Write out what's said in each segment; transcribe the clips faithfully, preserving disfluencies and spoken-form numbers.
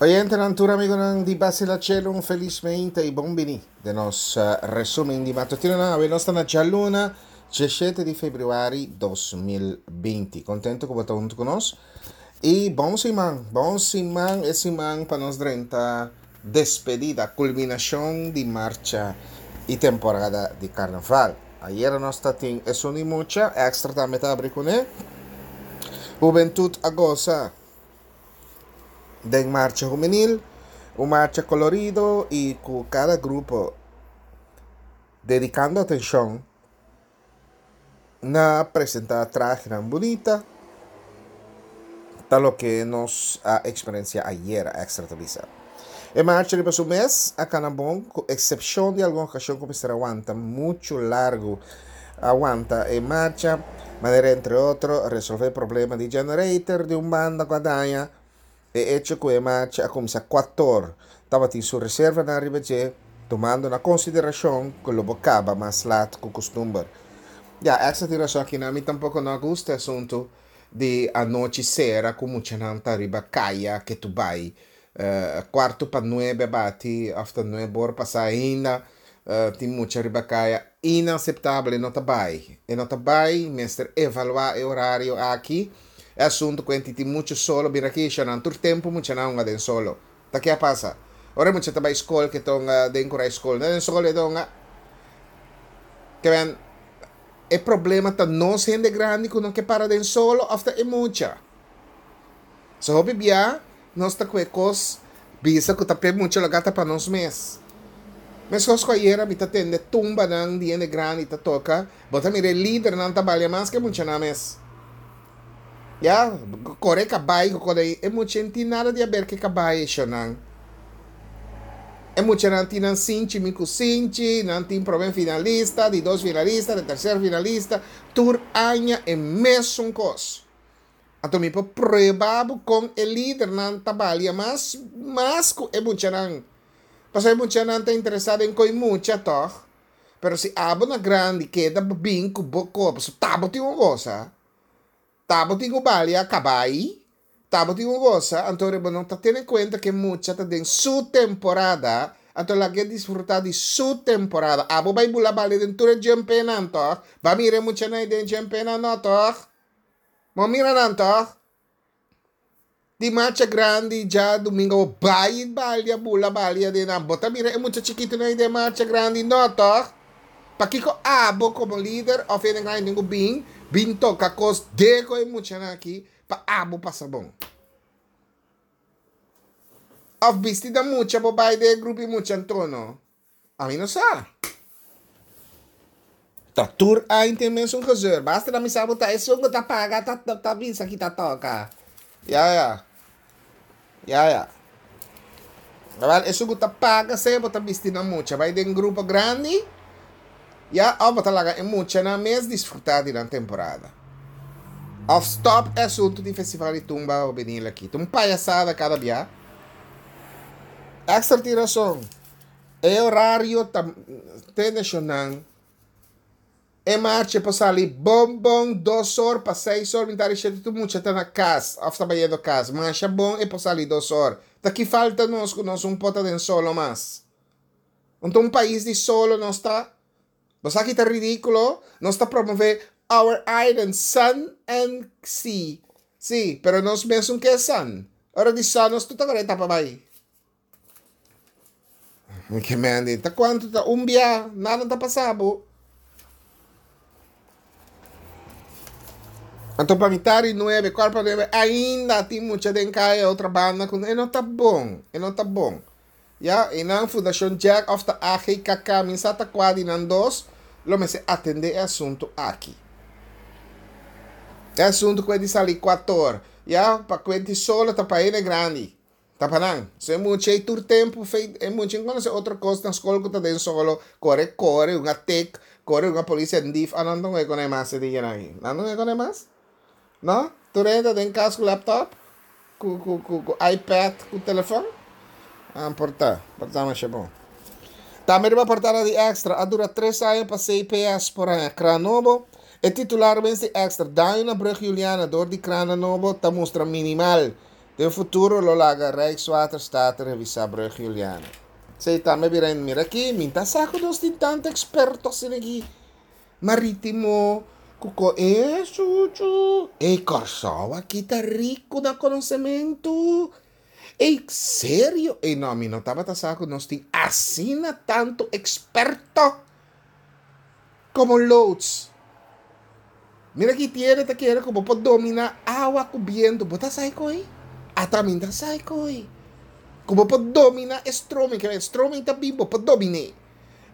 Oyentenan, tur amigonan di Basila Chelo, un felismente i bon bini den nos resumen di matutinonan. Awe nos ta na djaluna, diesshete di febrüari dos mil binti. Kontentu ku bo ta huntu ku nos. I bon siman, bon siman, e siman pa nos drenta despedida, kulminashon di marcha i temporada di karnaval. Ayera nos ta tin esun di mucha, Extra tambe ta abri kuné. Hubentut a gosa den marcha hubenil, un marcha kolorido i ku kada grupo dedikando atenshon na presentá trahenan bunita, ta loke nos a eksperensiá ayera, Extra ta bisa. E marcha riba su mes a kana bon, ku eksepshon di algun okashon ku mester a wanta muchu largu a wanta e marcha, manera entre otro resolvé problema di generator di un banda ku a daña. E echo ku e marcha a kuminsá kuator tabatin su reservanan riba dje, tumando na konsiderashon ku lo bo kaba mas lat ku kustumber. Ya, Extra tin rason aki nan, mi tampoko no a gusta e asuntu di anochi sera ku muchanan ta riba kaya ke tu bai. Kuartu pa nuebe a bati òf ta nuebe or pasá ainda tin mucha riba kaya. Inaseptabel, e no ta bai. E no ta bai, mester evaluá e orario aki. E asuntu ku enti tin muchu solo bira aki nan tur tempu muchanan hunga den solo. Ta ke a pasa? Ora e mucha ta bai skol ke ta hunga den kurai skol, no den solo e ta hunga. Ke men e problema ta nos hende grandi ku no ke para den solo òf ta e mucha? So hopi bia nos ta ku e kos bisa ku ta p'e mucha loke ta pa nos mes. Meskos ku ayera mi ta tende tumbanan di hende grandi ta toka, bo ta mira e lidernan ta balia mas ku e muchanan mes. Ya, kore kabai ku kore e mucha no tin nada di aber ku e kabai e shonnan. E muchanan tin nan sinchi mi ku sinchi, nan tin promé finalista, di dos finalista, di terser finalista, tur aña e mesun kos. Anto mi por prueba bo kon e lidernan ta balia mas mas ku e muchanan. Pasobra e muchanan ta interesá den koi mucha tòg. Pero si abo na grandi keda bin ku bo kos, pasobra ta bo tin un gosa, ta bo tin ku balia kabai, ta bo tin un gosa, anto bo no ta tene kuenta ku e mucha ta den su temporada, anto lag'é disfrutá di su temporada. Abo bai bula balia den tur e djempenan tòg, ba mira e muchanan ei den djempenan no tòg. Bo mira nan tòg? Di marcha grandi djadumingu bo bai balia bula balia den nan. Bo ta mira e mucha chikitunan ei den marcha grandi no tòg? Pakiko abo komo lider òf hende grandi tin ku bin bin toka kos de ku e muchanan aki pa abo pasa bon? Òf bisti na mucha bo bai den e grupo di mucha anto no? Ami no sa. Ta tur aña tin e mesun gezeur. Basta na mi sa bo ta esun ku ta paga ta ta bisa ki ta toka. Ya ya. Ya ya. Awel esun ku ta paga sea bo ta bisti na mucha bai den grupo grandi ya of bo ta laga e muchanan mes disfruta di nan temporada. Of stop e asuntu di festival di tumba hubenil aki. Ta un payasada kada bia. Extra tin rason. E orario ta tende-shonnan. E marcha por sali bon bon dos or pa seis or mitad di shete tur mucha ta na kas of ta bayendo kas. Masha bon e por sali dos or. Ta ki falta nos ku nos un por ta den solo mas? Unta un pais di solo nos ta? Bo sa ki ta ridikulo? Nos ta promove our island sun and sea. Si, pero nos mesun ke sun. Ora di sun nos tur ta kore tapa bai. Ke mende, ta kuantu ta un bia, nada ta pasa bo. Anto pa mitad di nuebe, kuart pa nuebe, ainda tin mucha den kaya otro banda ku e no ta bon, e no ta bon. Ya, i nan Fundashon Jack òf ta A G K K, mi sa ta kua di nan dos lo mester atendé e asuntu aki. E asuntu ku e di sali kuator, ya, pa kuenti solo ta pa hende grandi. Ta pa nan. So e mucha ei tur tempu fei e mucha no konosé otro kos na skol ku ta den solo, kore kore un a tek, kore un a polisi en dif, a nan ta ngoe koné mas e dianan ei. Nan ta ngoe koné mas? No? Tur hende ta den kas ku laptop, ku ku ku ku iPad, ku telefòn? Ah, por ta, por ta masha bon. Tambe riba portada di Extra, a dura tres aña pa C P S por haña kran nobo. E titular mes di Extra, Daño na brug Juliana dor di krana nobo ta mustra minimal. Den futuro lo laga Rijkswaterstaat revisá brùg Juliana. Esei tambe bira mira aki, mi ta sa ku nos tin tantu eksperto asina aki marítimo ku ko e suchu. E Kòrsou aki ta riku na konosementu. Ei, serio? Ei, no, mi no tabata sa ku nos tin asina tantu eksperto komo loods. Mira ki tiene ta kere ku bo por dominá awa ku bientu. Bo ta sa koi? Ata mi ta sa koi. Ku bo por dominá e stroming, ke stroming ta bin, bo por dominé.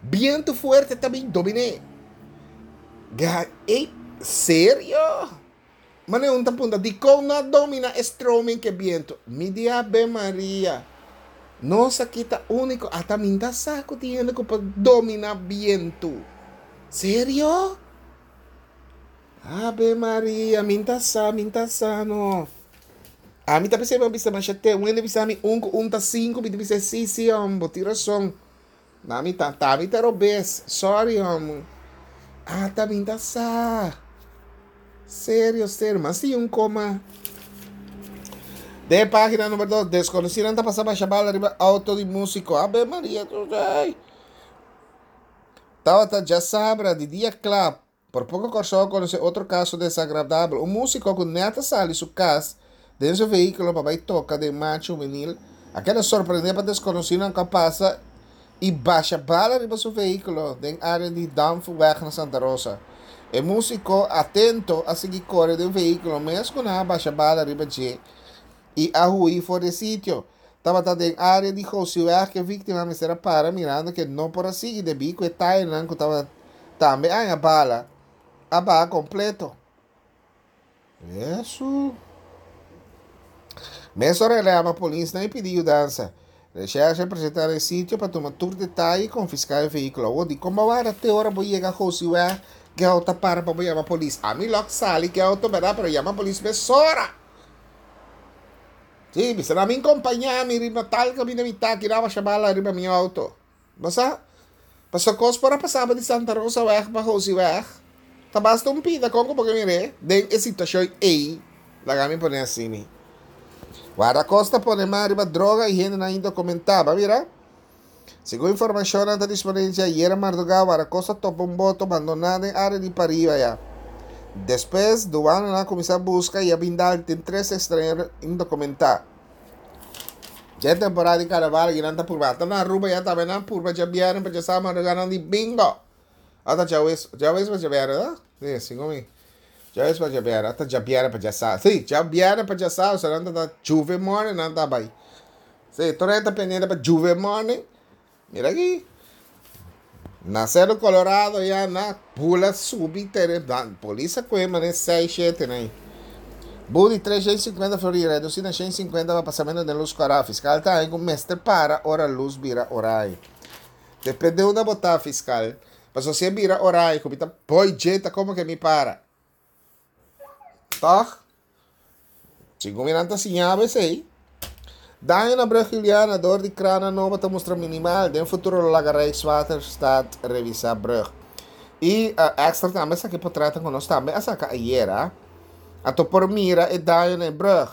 Bientu fuerte ta bin, dominé. Ga, ei, serio? Mane un ta punta, dikon no domina e stroming ku bientu? Mi di Ave Maria. Nos aki ta úniko. Ata mi ta sa ku tin hende ku por dominá bientu. Serio? Ave Maria, mi ta sa, mi ta sa no. Ami ta pensa bisa masha te, un hende bisa mi un ku un ta sinku, mi ta bisa si si hòmber, bo tin rason. Na mi ta, ta mi ta robes. Sorry, hòmber. Ata mi ta sa. Serio, serio. Mas si un koma. Den página number dos, deskonosínan ta pasa basha bala riba outo di músiko. Ave Maria, ai. Tabata djasabra di dia kla. Por poko Kòrsou a konosé otro kaso desagradabel. Un músiko ku nèt a sali su kas den su vehíkulo pa bai toka den marcha hubenil a keda sorprendé pa deskonosínan ku a pasa i basha bala riba su vehíkulo den área di Danfuweg na Santa Rosa. E músiko atento a sigui kore den vehíkulo mes ku nan a basha bala riba dje i a hui for di e sitio. Tabata den área di Gosiweg ku e víktima mester a para mirando ku e no por a sigui debí ku e tayanan ku tabata tambe haña bala a baha kompleto. Yesu. Mesora el a yama polisnan i pidi yudansa. Reshèrshe a presentá na e sitio pa tuma tur detaye i konfiská e vehíkulo. Awor di kon bo warda te ora bo yega Gosiweg ku e outo a para pa bo yama polis? Ami lòk sali ku e outo bèrdat pero yama polis mesora. Sí, bisa nan mi kompañá mi riba tal kaminda mi ta aki nan a basha bala riba mi outo. Bo sa? Pasobra kos por a pasaba di Santa Rosa weg pa Gosiweg ta basta un pida kon ku bo ke mir'é den e situashon ei. Laga mi pone asini. Wardakosta pone man riba droga i hendenan indokumentá. Bo a mira? Segun informashonnan ta disponibel dje ayera mardugá, Wardakosta topa un boto bandoná den área di pariba ya. Despues, duananan a kuminsá buska i a bin dal den tres ekstranhero indokumentá. Dje temporada di karnaval aki nan ta purba. Ata na Aruba ya tambe nan purba djabièrnè pa djasabado mardugá nan di bingo! Ata djawes, djawes pa djabièrnè, no? Sí, segun mi. Djaweps pa djabièrnè, ata djabièrnè pa djasabado. Sí, djabièrnè pa djasabado, so nan ta ta Juve morning nan ta bai. Sí, tur hende ta pendiente pa Juve morning. Mira aki. Na Cerro Colorado ya na bula subi tere, polis a kohe mane seis, shete na. Bu di tres shen sinkuenta florin redusí na shen sinkuenta pa pasamentu den lus kòrá. Fiskal ta haña ku mester para ora lus bira oraño. Depende unda bo ta, fiskal. Pasobra si e bira oraño ku mi ta boy dje ta komo ke mi para. Tòg? Segun mi nan ta siña bo esei. Daño na brug Juliana dor di krana nobo ta mustra minimal. Den futuro lo laga Rijkswaterstaat revisá brug. I extra tambe esaki potrètnan ku nos tambe a saka ayera. Anto por mira e daño na e brug.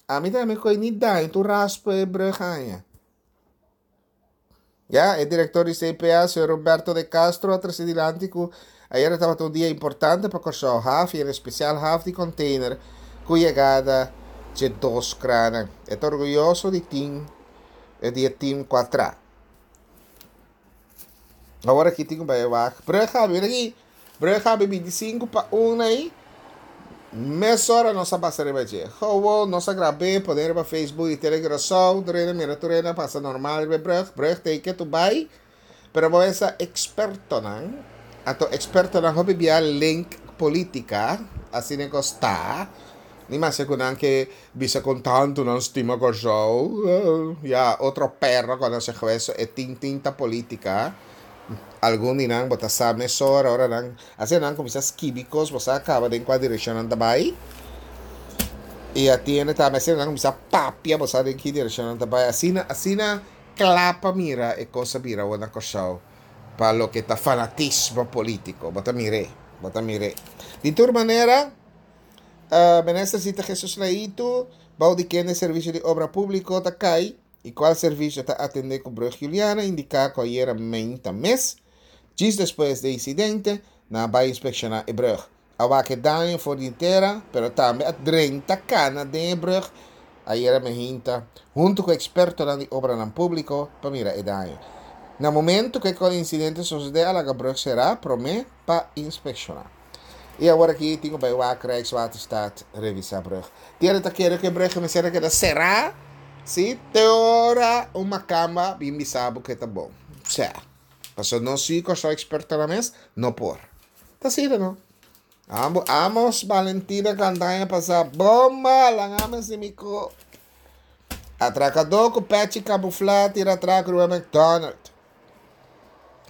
Ami tambe koe ni daño tur raspa e brug haña. Ya, e direktor di C P A, señor Roberto de Castro, a trese dilanti ku ayera tabata un dia importante pa Kòrsou haf i en espesial haf di container ku yegada dje dos kranan. E ta orguyoso di tin di e tim ku a tra. Awor aki tin ku bai wak. Brug habri, mira aki. Brug habri binti sinku pa un ei. Mesora nos a pasa riba dje. Gewoon nos a grab'é, pone riba Facebook di Telecuraçao. Tur hende mira, tur hende a pasa normal riba e brug. Brug teken tu bai. Pero bo esa ekspertonan, anto ekspertonan hopi bia link polítika, asina kos ta. Ni mas ku nan ke bisa kon tantu nan stima Kòrsou. Ya, otro perro conoce hueso, e tin tinta polítika. Algun di nan bo ta sa mesora ora nan asina nan kuminsá skibi kos, bo sa kaba den kua direkshon nan ta bai. I atiende tambe asina nan kuminsá papia, bo sa den ki direkshon nan ta bai. Asina asina kla pa mira e kos a bira awor na Kòrsou pa loke ta fanatismo polítiko. Bo ta mir'é, bo ta mir'é. Di tur manera, uh, minister Zita Jesus Leito Bou di kende servisio di obra públiko ta kai i kual servisio ta atendé ku Brug Juliana a indiká ku ayera meinta mes, djis despues di e insidente, nan a bai inspekshoná e brùg. A wak e daño for di tera, pero tambe a drenta kana den e brùg ayera meinta huntu ku ekspertonan di obranan públiko pa mira e daño. Na momento ku e insidente sosodé a laga brùg será promé pa inspekshoná. I awor aki tin ku bai wak Rijkswaterstaat revisá brùg. Tiene ta kere ku e brùg mester a keda será, sí, te ora un makamba bin bisa bo ku e ta bon. Sea, pasobra nos sí ku so ekspertonan mes no por. Ta asina no. Amo, Amos Valentina kanta aña pasá, Bomba, laga mi hasi mi ko. Atrakadó ku pèchi kamuflá tira atrako riba McDonald.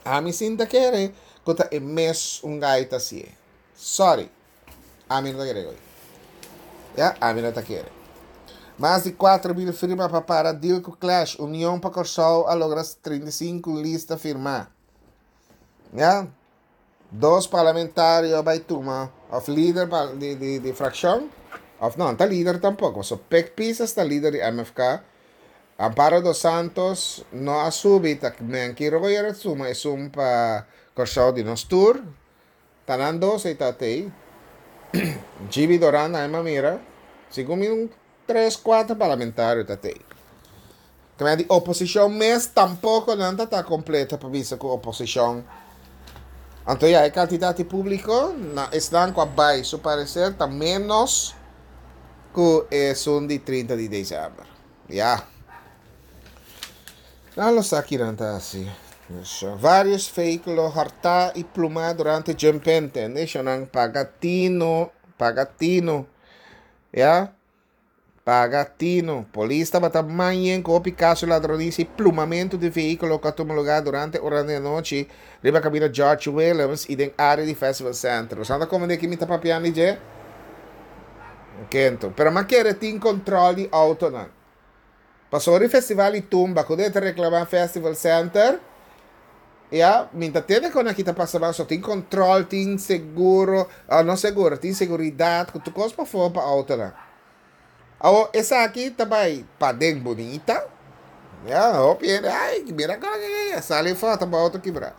Ami sin ta kere ku ta e mes un gai ta hasié. Sorry. Ami no ta kere goi. Ya, ami no ta kere. Mas di kuater mil firma pa para deal ku Clash. Union pa Kòrsou a logra trinta i sinku lista firmá. Ya. Dos parlamentario a bai tuma òf lider di di di frakshon òf no, no ta lider tampoko, pasobra Pik Pisas ta lider di M F K. Amparo dos Santos no a subi, ta Menki Royer a suma esun pa Kòrsou di nos tur. Ta nan dos ei ta tei. Gibi Doran a mira, segun mi un tres kuater parlamentario ta tei. Kende di oposishon mes tampoko nan ta ta kompleto pa bisa ku oposishon. Anto ya e kantidat di públiko na esnan ku a bai su pareser ta ménos ku esun di trinta di desèmber. Ya. Nan lo sa kinan ta hasi. Vários vehíkulo hòrtá i plumá durante djempente. Neshonnan paga tinu, paga tinu. Ya. Paga tinu. Polis tabata mañen ku hopi kaso ladronisia i plumamentu di vehíkulo ku a tuma lugá durante oranan di anochi riba kaminda George Williams i den área di Festival Center. Boso anda komende ki mi ta papiando di dje? Kento. Pero m'a kere tin kontrol di outonan. Pasobra ora festival di tumba ku ta reklamá Festival Center, ya, mi ta tende kon aki ta pasa mas, so tin kontrol, tin seguro, ah, no seguro, tin seguridat, ku tur kos pafó pa outonan. Awo esaki ta bai paden bunita. Ya, hopi hende, ai, mira kon sali foto pa outo kibrá.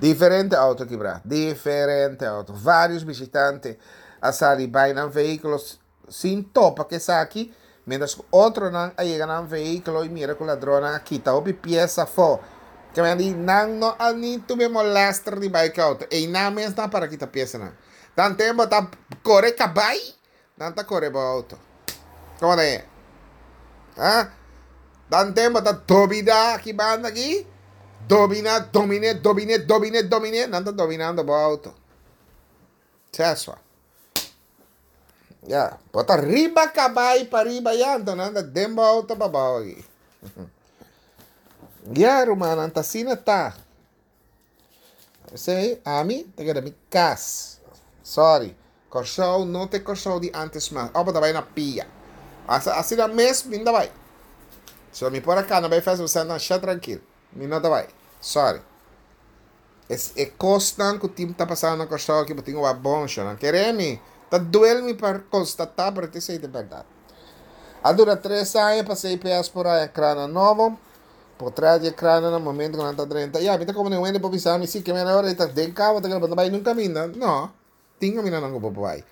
Diferente outo kibrá, diferente outo. Vários bishitante a sali bai nan vehíkulo sin topa ku esaki, mientras ku otronan a yega nan vehíkulo i mira ku ladronnan a kita hopi piesa afó. Ke men di nan no a ni tuve molester di bai ku outo. Ei nan mes nan para kita piesanan. Tan tempu ta kore kabai, nan ta kore bo outo. Komo ta e? Ha? Dan tempu ta dominá aki banda aki, dominá, dominé, dominé, dominé, dominé, nan ta dominando bo outo. Seswa. Ya, bo ta riba kabai pa riba ya, anto nan ta den bo outo pa abou aki. Ya, rumannan, ta asina ta. Esei, ami ta keda mi kas. Sorry. Kòrsou no ta e Kòrsou di ántes mas. Òf bo ta bai na pia. Asina mes mi no ta bai. So mi por a kana bai Festival Center masha trankil. Mi no ta bai. Sorry. Es e kosnan ku tin ta pasando na Kòrsou aki bo tin ku wak bon shon. Kere mi, ta duel mi pa konstatá pero ta esei ta bèrdat. A dura tres aña pa C P S por haña krana nobo. Potrèt di e krana na momento ku nan ta drenta. Ya, mi ta komo den wende por bisa mi si ke mera ora ta den kaba ta keda bo no ta bai nunka kaminda. No, tin kamindanan ku bo por bai.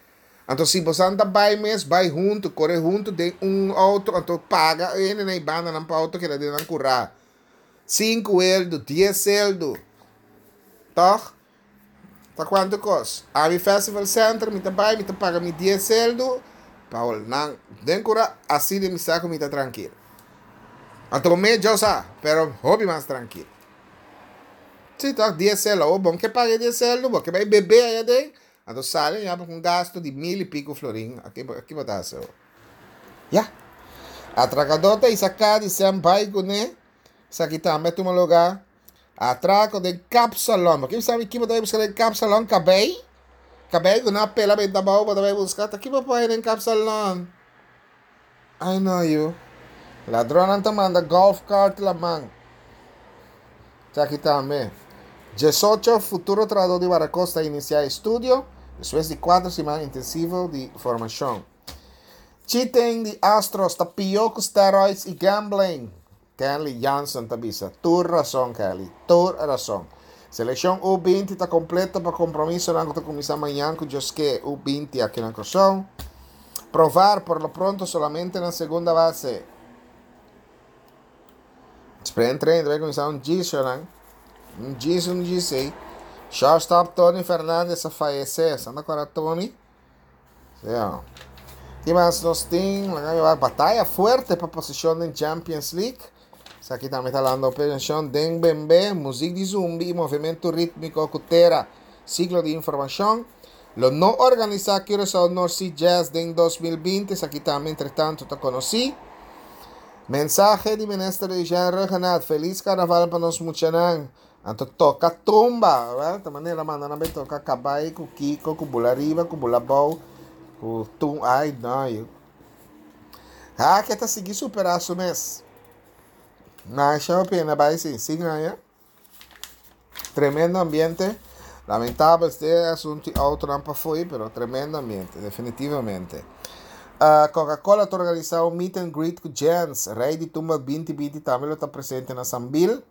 Anto si bosan ta bai mes, bai huntu, kore huntu den un outo, anto paga hende na e bandanan pa outo keda den nan kurá. Sinku eldu, dies eldu. Tòg? Ta kuantu kos? Ami Festival Center mi ta bai, mi ta paga mi dies eldu, pa nan den kurá, asina mi sa ku mi ta trankil. Anto bo mes djo sa, pero hopi mas trankil. Si tòg, dies eldu, awor bon ke paga e dies eldu, bo ke bai bebe aya den, anto sali ya ku un gasto di mil i piko florin, aki aki bo ta hasi awor. Ya. Atrakadó ta isaká di sem bai kuné, esaki tambe a tuma lugá. Atrako den kapsalon. Bo ke sabi ki bo ta bai buska den kapsalon? Kabei? Kabei ku nan a pela benta abou bo ta bai buska? Ta ki bo por haña den kapsalon? Ai no yu. Ladronnan ta manda golf cart laman. Esaki tambe. Diesocho futuro trahadó di Wardakosta a inisiá estudio despues di kuater siman intensivo di formashon. Cheating di Astros ta pió ku steroids i gambling. Kenley Jansen ta bisa. Tur rason, Kelly. Tur rason. Selekshon U binti ta kompleto pa kompromisonan ku ta kuminsá mañan ku Dios ke U binti aki na Kòrsou. Profar por lo pronto solamente na segunda base. Spring training bai kuminsá un djis, no? Un djis, un djis, ei. Shortstop Tony Fernandez a fayesé. Santa kòrda Tony? Sí. Ki mas nos tin? Bataya fuerte pa posishon den Champions League. Aki tambe ta papiando posishon den B M B, músika di zumbi i movementu rítmiko ku tera. Siglo di informashon. Lo no organisá Curaçao North Sea Jazz den dos mil binti. Aki tambe, entre tantu, ta konosí. Mensahe di Minister Jean Rhuggenaath. Felis Karnaval pa nos muchanan. Anto toka tumba, well, ta manera manda na toka kabai ku kiko ku bula riba ku bula bou ku tum ai no. Ah, ku ta sigui superá su mes. Masha pena bai sí, sí gaña. Tremendo ambiente. Lamentabel e asuntu outo nan foi, pero tremendo ambiente, definitivamente. Uh, Coca-Cola ta organisá un meet and greet ku Jens. Rei di Tumba dos mil binti tambe ta presente na Sambil.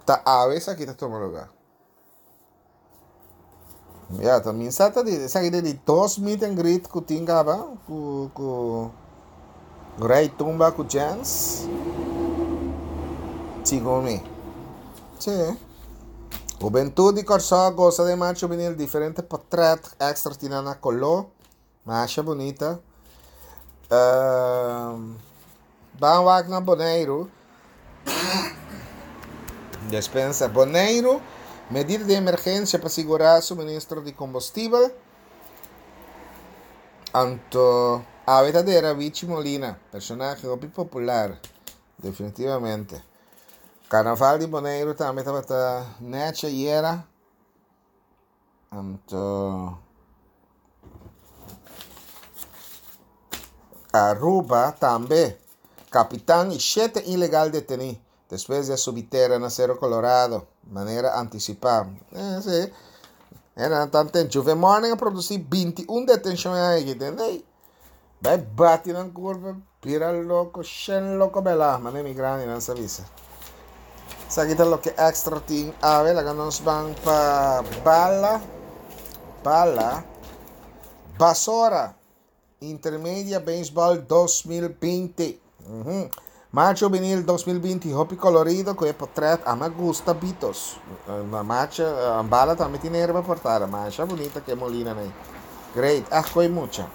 Ta awe aki ta tuma lugá. Ja, tambe sa di, esaki di dos meet and greet ku tin kaba, ku ku Rei Tumba ku Jens. Segun mi. Sí. Hubentut di Kòrsou gosa di marcha juvenil, diferente portrèt Extra tin na koló. Masha bunita. Uh, Ban wak na Boneiru. Despensa. Boneiru, medida di emergensia pa sigurá suministro di kombustibel. Anto, a verdadera Wichi Molina, personahe hopi popular, definitivamente. Karnaval di Boneiru tambe tabata nèt ayera. Anto, Aruba tambe. Kapitan i shete ilegal detení despues di subi tera na Cerro Colorado, manera antisipá. Eh, sí. Era tantu. Juve Morning a produsí binti un detenshon ei, entendé? Bai bati na kurva, bira loko, shen loko bela, manera mi grandinan sa bisa. Esaki ta loke Extra tin. Awe, laga nos ban pa Bala, Bala, Basora, Intermedia Baseball dos mil binti. Uhum. Marcha Juvenil dos mil binti, hopi kolorido, ku e portrèt, ami gusta Bitos. Na marcha, Bala tambe tin herba portada, masha bunita ku Molina, ne? Great, ah, koi mucha.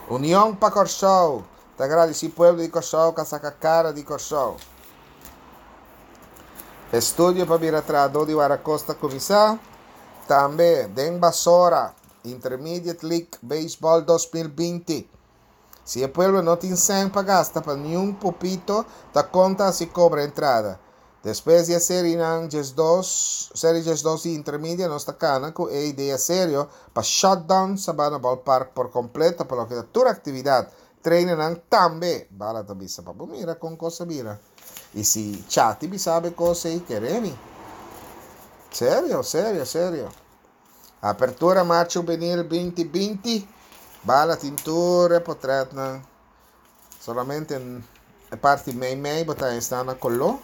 Union pa Kòrsou, ta gradisí pueblo di Kòrsou, ku a saka kara di Kòrsou. Estudio pa bira trahadó di Wardakosta kuminsá. Tambe, den Basora, Intermediate League Baseball dos mil binti. Si e pueblo no tin sèn pa gasta pa ningun pupito, ta konta si kobra entrada. Despues di seri diesdos, seri diesdos di Intermedia, nos ta kana ku e idea serio pa shutdown Sabana Ballpark por kompleto pa loke ta tur aktividat. Trainer tambe, Bala ta bisa pa mira kon kos a bira. I si chati sabe kos ei kere mi. Serio, serio, serio. Apertura Marcha Juvenil dos mil binti. Bala tin tur portrèt na solamente e parti mei mei bo ta sta na koló.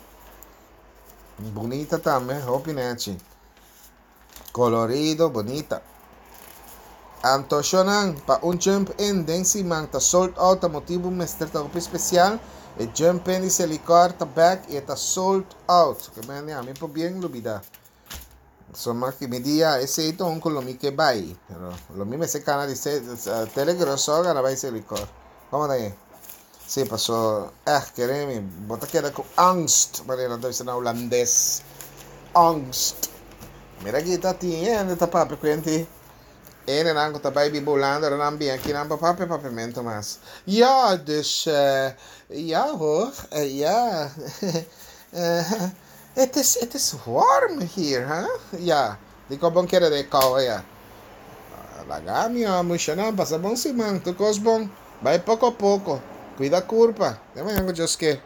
Bunita tambe, hopi nèchi. Kolorido, bunita. Anto shonan, pa un jump in den siman ta sold out, a motibu mester ta hopi spesial. E jump in di Selikor ta back i ta sold out. Ke men ami por bien lubidá. Soma ku mi dia esei ta un ku lo mi ke bai. Pero lo mi mester kana di se telegroso gana bai Selikor. Kon ta ei? Sí, paso echt kere mi, bo ta keda ku angst, manera nan ta bisa na hulandes. Angst. Mira aki ta tin hende ta papia kuenti. Ene nan ku ta bai biba Hulanda, nan bin aki nan pa papia papiamentu mas. Ja, dus uh, ja hoor, uh, ja. uh, het is, het is warm hier, hè? Ja, di kon bon kere de kou, ja. Laga mi, mushanan, pasa bon siman, tur kos bon. Bai poko poko. Kuida kurpa. Te mañan ku Dios ke.